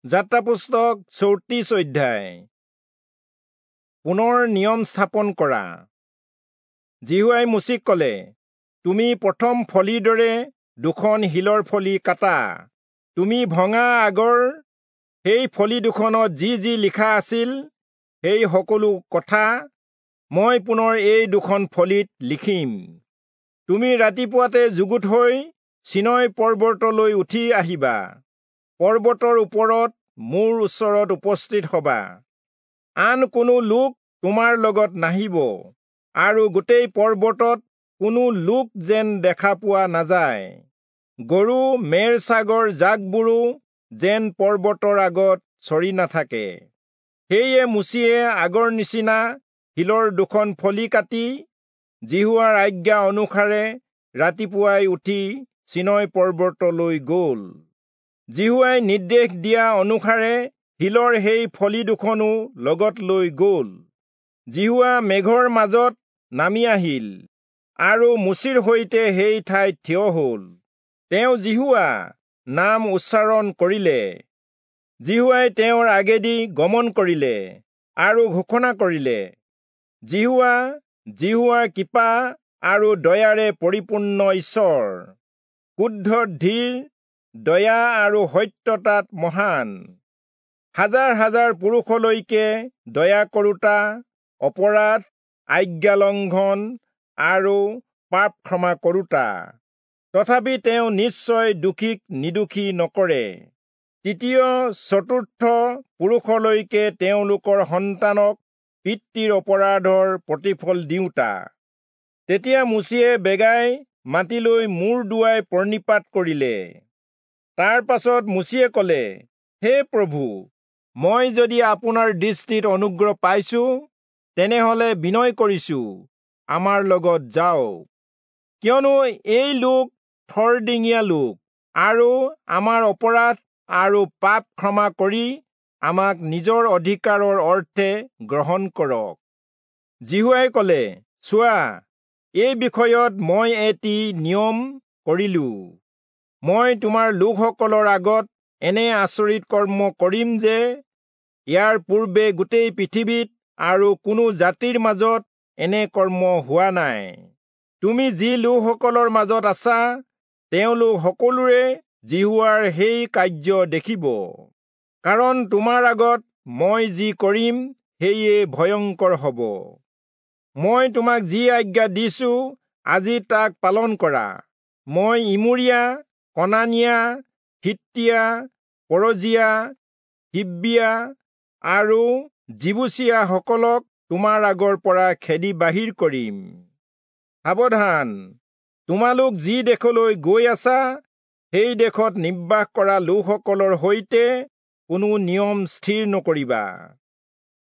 যাত্ৰা পুস্তক 34 অধ্যায়। পুনৰ নিয়ম স্থাপন কৰা। যিহোৱাই মোচিক কলে, তুমি প্ৰথম ফলিৰ দৰে দুখন শিলৰ ফলি কাটা। তুমি ভঙা আগৰ সেই ফলি দুখনত যি যি লিখা আছিল সেই সকলো কথা মই পুনৰ এই দুখন ফলিত লিখিম। তুমি ৰাতিপুৱাতে যুগুত হৈ চিনয় পৰ্বতলৈ উঠি আহিবা। পৰ্বতৰ ওপৰত মোৰ ওচৰত উপস্থিত হবা। আন কোনো লোক তোমাৰ লগত নাহিব, আৰু গোটেই পৰ্বতত কোনো লোক যেন দেখা পোৱা নাযায়। গৰু মেৰ ছাগৰ জাকবোৰো যেন পৰ্বতৰ আগত চৰি নাথাকে। সেয়ে মোচিয়ে আগৰ নিচিনা শিলৰ দুখন ফলি কাটি যিহোৱাৰ আজ্ঞা অনুসাৰে ৰাতিপুৱাই উঠি চিনয় পৰ্বতলৈ গল। যিহোৱাই নিৰ্দেশ দিয়া অনুসাৰে শিলৰ সেই ফলি দুখনো লগত লৈ গল। যিহোৱা মেঘৰ মাজত নামি আহিল আৰু মোচিৰ সৈতে সেই ঠাইত থিয় হল। তেওঁ যিহোৱা নাম উচ্চাৰণ কৰিলে। যিহোৱাই তেওঁৰ আগেদি গমন কৰিলে আৰু ঘোষণা কৰিলে, যিহোৱা যিহোৱাৰ কৃপা আৰু দয়াৰে পৰিপূৰ্ণ ঈশ্বৰ, ক্ৰোধত ধীৰ, দয়া আৰু সত্যতাত মহান, হাজাৰ হাজাৰ পুৰুষলৈকে দয়া কৰোতা, অপৰাধ, আজ্ঞালংঘন আৰু পাপ ক্ষমা কৰোতা। তথাপি তেওঁ নিশ্চয় দোষীক নিৰ্দোষী নকৰে। তৃতীয় চতুৰ্থ পুৰুষলৈকে তেওঁলোকৰ সন্তানক পিতৃৰ অপৰাধৰ প্ৰতিফল দিওঁতা। তেতিয়া মোচিয়ে বেগাই মাটিলৈ মূৰ দোৱাই প্ৰণিপাত কৰিলে। তাৰ পাছত মোচিয়ে কলে, হে প্ৰভু, মই যদি আপোনাৰ দৃষ্টিত অনুগ্ৰহ পাইছো, তেনেহলে বিনয় কৰিছো, আমাৰ লগত যাওক। কিয়নো এই লোক থৰডিঙীয়া লোক, আৰু আমাৰ অপৰাধ আৰু পাপ ক্ষমা কৰি আমাক নিজৰ অধিকাৰৰ অৰ্থে গ্ৰহণ কৰক। যিহোৱাই কলে, চোৱা, এই বিষয়ত মই এটি নিয়ম কৰিলো। মই তোমাৰ লোকসকলৰ আগত এনে আচৰিত কৰ্ম কৰিম যে ইয়াৰ পূৰ্বে গোটেই পৃথিৱীত আৰু কোনো জাতিৰ মাজত এনে কৰ্ম হোৱা নাই। তুমি যি লোকসকলৰ মাজত আছা, তেওঁলোক সকলোৰে যিহোৱাৰ সেই কাৰ্য দেখিব। কাৰণ তোমাৰ আগত মই যি কৰিম সেয়ে ভয়ংকৰ হব। মই তোমাক যি আজ্ঞা দিছো, আজি তাক পালন কৰা। মই ইমোৰীয়া, কনানীয়া, হিত্তীয়া, পৰজীয়া, হিব্বীয়া আৰু যিবূচীয়াসকলক তোমাৰ আগৰ পৰা খেদি বাহিৰ কৰিম। সাৱধান, তোমালোক যি দেশলৈ গৈ আছা, সেই দেশত নিবাস কৰা লোকসকলৰ সৈতে কোনো নিয়ম স্থিৰ নকৰিবা।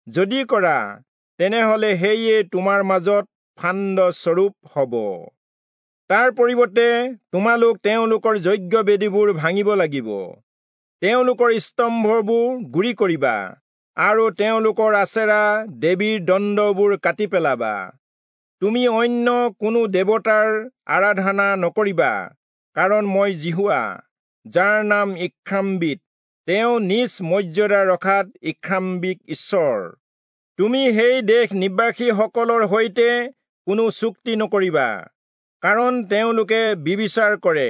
যদি কৰা, তেনেহলে সেয়ে তোমাৰ মাজত ফান্দ স্বৰূপ হব। তাৰ পৰিৱৰ্তে তোমালোক তেওঁলোকৰ যজ্ঞ বেদীবোৰ ভাঙিব লাগিব, তেওঁলোকৰ স্তম্ভবোৰ গুৰি কৰিবা, আৰু তেওঁলোকৰ আচেৰা দেৱীৰ দণ্ডবোৰ কাটি পেলাবা। তুমি অন্য কোনো দেৱতাৰ আৰাধনা নকৰিবা, কাৰণ মই যিহোৱা, যাৰ নাম ঈৰ্ষান্বিত, তেওঁ নিজ মৰ্যাদা ৰখাত ঈৰ্ষান্বিত ঈশ্বৰ। তুমি সেই দেশ নিবাসীসকলৰ সৈতে কোনো চুক্তি নকৰিবা, কাৰণ তেওঁলোকে ব্যভিচাৰ কৰে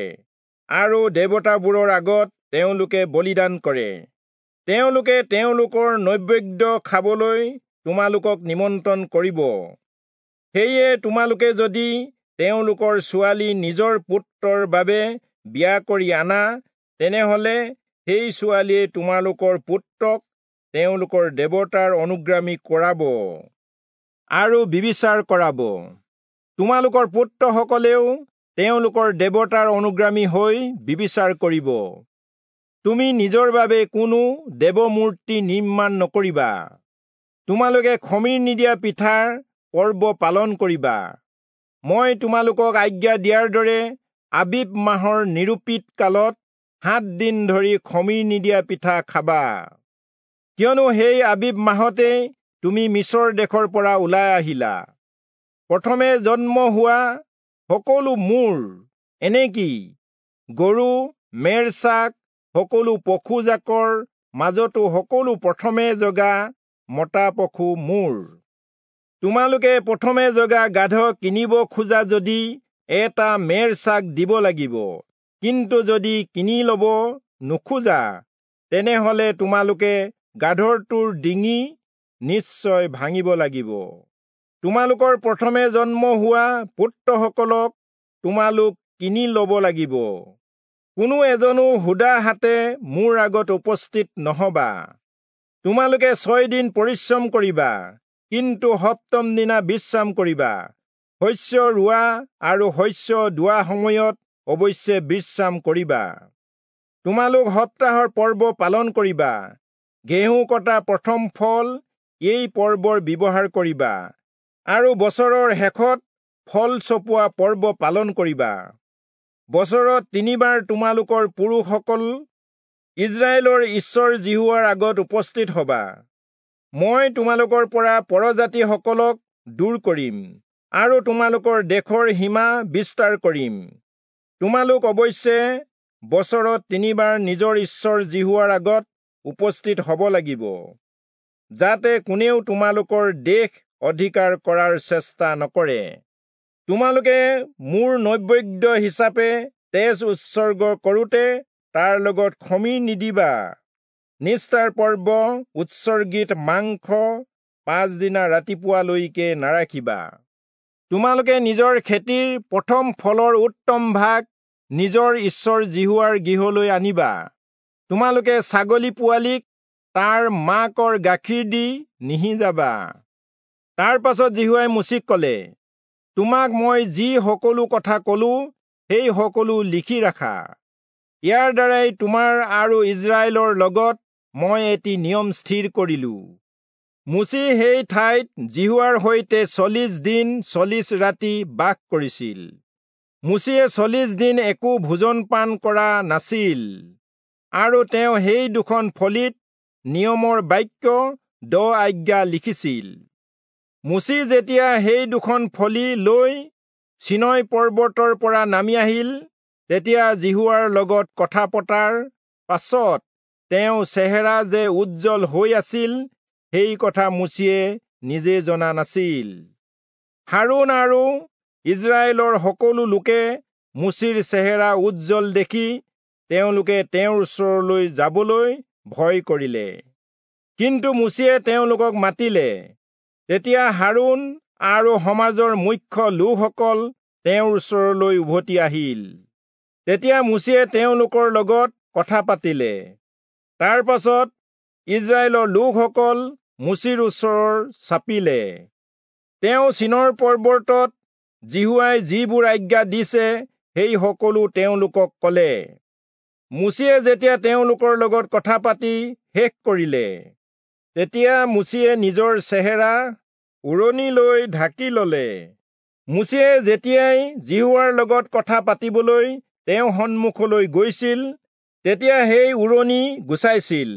আৰু দেৱতাবোৰৰ আগত তেওঁলোকে বলিদান কৰে। তেওঁলোকে তেওঁলোকৰ নৈবেদ্য খাবলৈ তোমালোকক নিমন্ত্ৰণ কৰিব। সেয়ে তোমালোকে যদি তেওঁলোকৰ ছোৱালী নিজৰ পুত্ৰৰ বাবে বিয়া কৰি আনা, তেনেহলে সেই ছোৱালীয়ে তোমালোকৰ পুত্ৰক তেওঁলোকৰ দেৱতাৰ অনুগামী কৰাব আৰু ব্যভিচাৰ কৰাব। তোমালোকৰ পুত্ৰসকলেও তেওঁলোকৰ দেৱতাৰ অনুগামী হৈ ব্যভিচাৰ কৰিব। তুমি নিজৰ বাবে কোনো দেৱমূৰ্তি নিৰ্মাণ নকৰিবা। তোমালোকে খমিৰ নিদিয়া পিঠাৰ পৰ্ব পালন কৰিবা। মই তোমালোকক আজ্ঞা দিয়াৰ দৰে আবিব মাহৰ নিৰূপিত কালত 7 দিন ধৰি খমিৰ নিদিয়া পিঠা খাবা। কিয়নো সেই আবিব মাহতে তুমি মিচৰ দেশৰ পৰা ওলাই আহিলা। প্ৰথমে জন্ম হোৱা সকলো মোৰ, এনেকি গৰু, মেৰ ছাগ, সকলো পশুজাকৰ মাজতো সকলো প্ৰথমে জগা মতা পশু মোৰ। তোমালোকে প্ৰথমে জগা গাধ কিনিব খোজা যদি এটা মেৰ ছাগ দিব লাগিব, কিন্তু যদি কিনি ল'ব নোখোজা তেনেহলে তোমালোকে গাধৰটোৰ ডিঙি নিশ্চয় ভাঙিব লাগিব। তোমালোকৰ প্ৰথমে জন্ম হোৱা পুত্ৰসকলক তোমালোক কিনি ল'ব লাগিব। কোনো এজনো সুদা হাতে মোৰ আগত উপস্থিত নহবা। তোমালোকে 6 দিন পৰিশ্ৰম কৰিবা, কিন্তু সপ্তম দিনা বিশ্ৰাম কৰিবা। শস্য ৰোৱা আৰু শস্য দোৱা সময়ত অৱশ্যে বিশ্ৰাম কৰিবা। তোমালোক সপ্তাহৰ পৰ্ব পালন কৰিবা। ঘেঁহু কটা প্ৰথম ফল এই পৰ্বৰ ব্যৱহাৰ কৰিবা আৰু বছৰৰ শেষত ফল চপোৱা পৰ্ব পালন কৰিবা। বছৰত 3বাৰ তোমালোকৰ পুৰুষসকল ইজৰাইলৰ ঈশ্বৰ যিহোৱাৰ আগত উপস্থিত হবা। মই তোমালোকৰ পৰা পৰজাতিসকলক দূৰ কৰিম আৰু তোমালোকৰ দেশৰ সীমা বিস্তাৰ কৰিম। তোমালোক অৱশ্যে বছৰত 3বাৰ নিজৰ ঈশ্বৰ যিহোৱাৰ আগত উপস্থিত হ'ব লাগিব, যাতে কোনেও তোমালোকৰ দেশ অধিকাৰ কৰাৰ চেষ্টা নকৰে। তোমালোকে মোৰ নৈবেদ্য হিচাপে তেজ উৎসৰ্গ কৰোঁতে তাৰ লগত খমীৰ নিদিবা। নিস্তাৰ পৰ্ব উৎসৰ্গিত মাংস 5 দিনা ৰাতিপুৱালৈকে নাৰাখিবা। তোমালোকে নিজৰ খেতিৰ প্ৰথম ফলৰ উত্তম ভাগ নিজৰ ঈশ্বৰ যিহোৱাৰ গৃহলৈ আনিবা। তোমালোকে ছাগলী পোৱালীক তাৰ মাকৰ গাখীৰ দি নিসিজাবা। তাৰ পাছত যিহোৱাই মোচিক ক'লে, তোমাক মই যি সকলো কথা কলো সেই সকলো লিখি ৰাখা। ইয়াৰ দ্বাৰাই তোমাৰ আৰু ইজৰাইলৰ লগত মই এটি নিয়ম স্থিৰ কৰিলো। মোচি সেই ঠাইত যিহোৱাৰ সৈতে 40 দিন 40 ৰাতি বাস কৰিছিল। মোচিয়ে 40 দিন একো ভোজন পান কৰা নাছিল আৰু তেওঁ সেই দুখন ফলিত নিয়মৰ বাক্য 10 আজ্ঞা লিখিছিল। মোচি যেতিয়া সেই দুখন ফলি লৈ চীনয় পৰ্বতৰ পৰা নামি আহিল, তেতিয়া যিহোৱাৰ লগত কথা পতাৰ পাছত তেওঁ চেহেৰা যে উজ্জ্বল হৈ আছিল সেই কথা মোচিয়ে নিজে জনা নাছিল। হাৰোণ আৰু ইজৰাইলৰ সকলো লোকে মোচিৰ চেহেৰা উজ্জ্বল দেখি তেওঁলোকে তেওঁৰ ওচৰলৈ যাবলৈ ভয় কৰিলে। কিন্তু মোচিয়ে তেওঁলোকক মাতিলে। তেতিয়া হাৰোণ আৰু সমাজৰ মুখ্য লোকসকল তেওঁৰ ওচৰলৈ উভতি আহিল। তেতিয়া মোচিয়ে তেওঁলোকৰ লগত কথা পাতিলে। তাৰ পাছত ইজৰাইলৰ লোকসকল মোচিৰ ওচৰ চাপিলে। তেওঁ চীনৰ পৰ্বতত যিহোৱাই যিবোৰ আজ্ঞা দিছে সেই সকলো তেওঁলোকক ক'লে। মোচিয়ে যেতিয়া তেওঁলোকৰ লগত কথা পাতি শেষ কৰিলে, তেতিয়া মোচিয়ে নিজৰ চেহেৰা উৰণি লৈ ঢাকি ললে। মোচিয়ে যেতিয়াই যিহোৱাৰ লগত কথা পাতিবলৈ তেওঁ সন্মুখলৈ গৈছিল, তেতিয়া সেই উৰণি গুচাইছিল,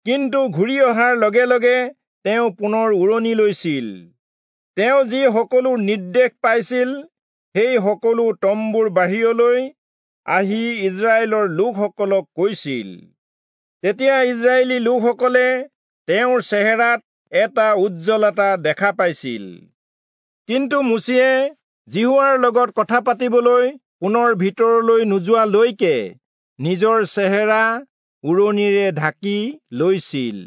কিন্তু ঘূৰি অহাৰ লগে লগে তেওঁ পুনৰ উৰণি লৈছিল। তেওঁ যি সকলো নিৰ্দেশ পাইছিল সেই সকলো তম্বুৰ বাহিৰলৈ আহি ইজৰাইলৰ লোকসকলক কৈছিল। তেতিয়া ইজৰাইলী লোকসকলে তেওঁৰ চেহেৰাত এটা উজ্জ্বলতা দেখা পাইছিল। কিন্তু মোচিয়ে যিহোৱাৰ লগত কথা পাতিবলৈ পুনৰ ভিতৰলৈ নোযোৱালৈকে নিজৰ চেহেৰা উৰণিৰে ঢাকি লৈছিল।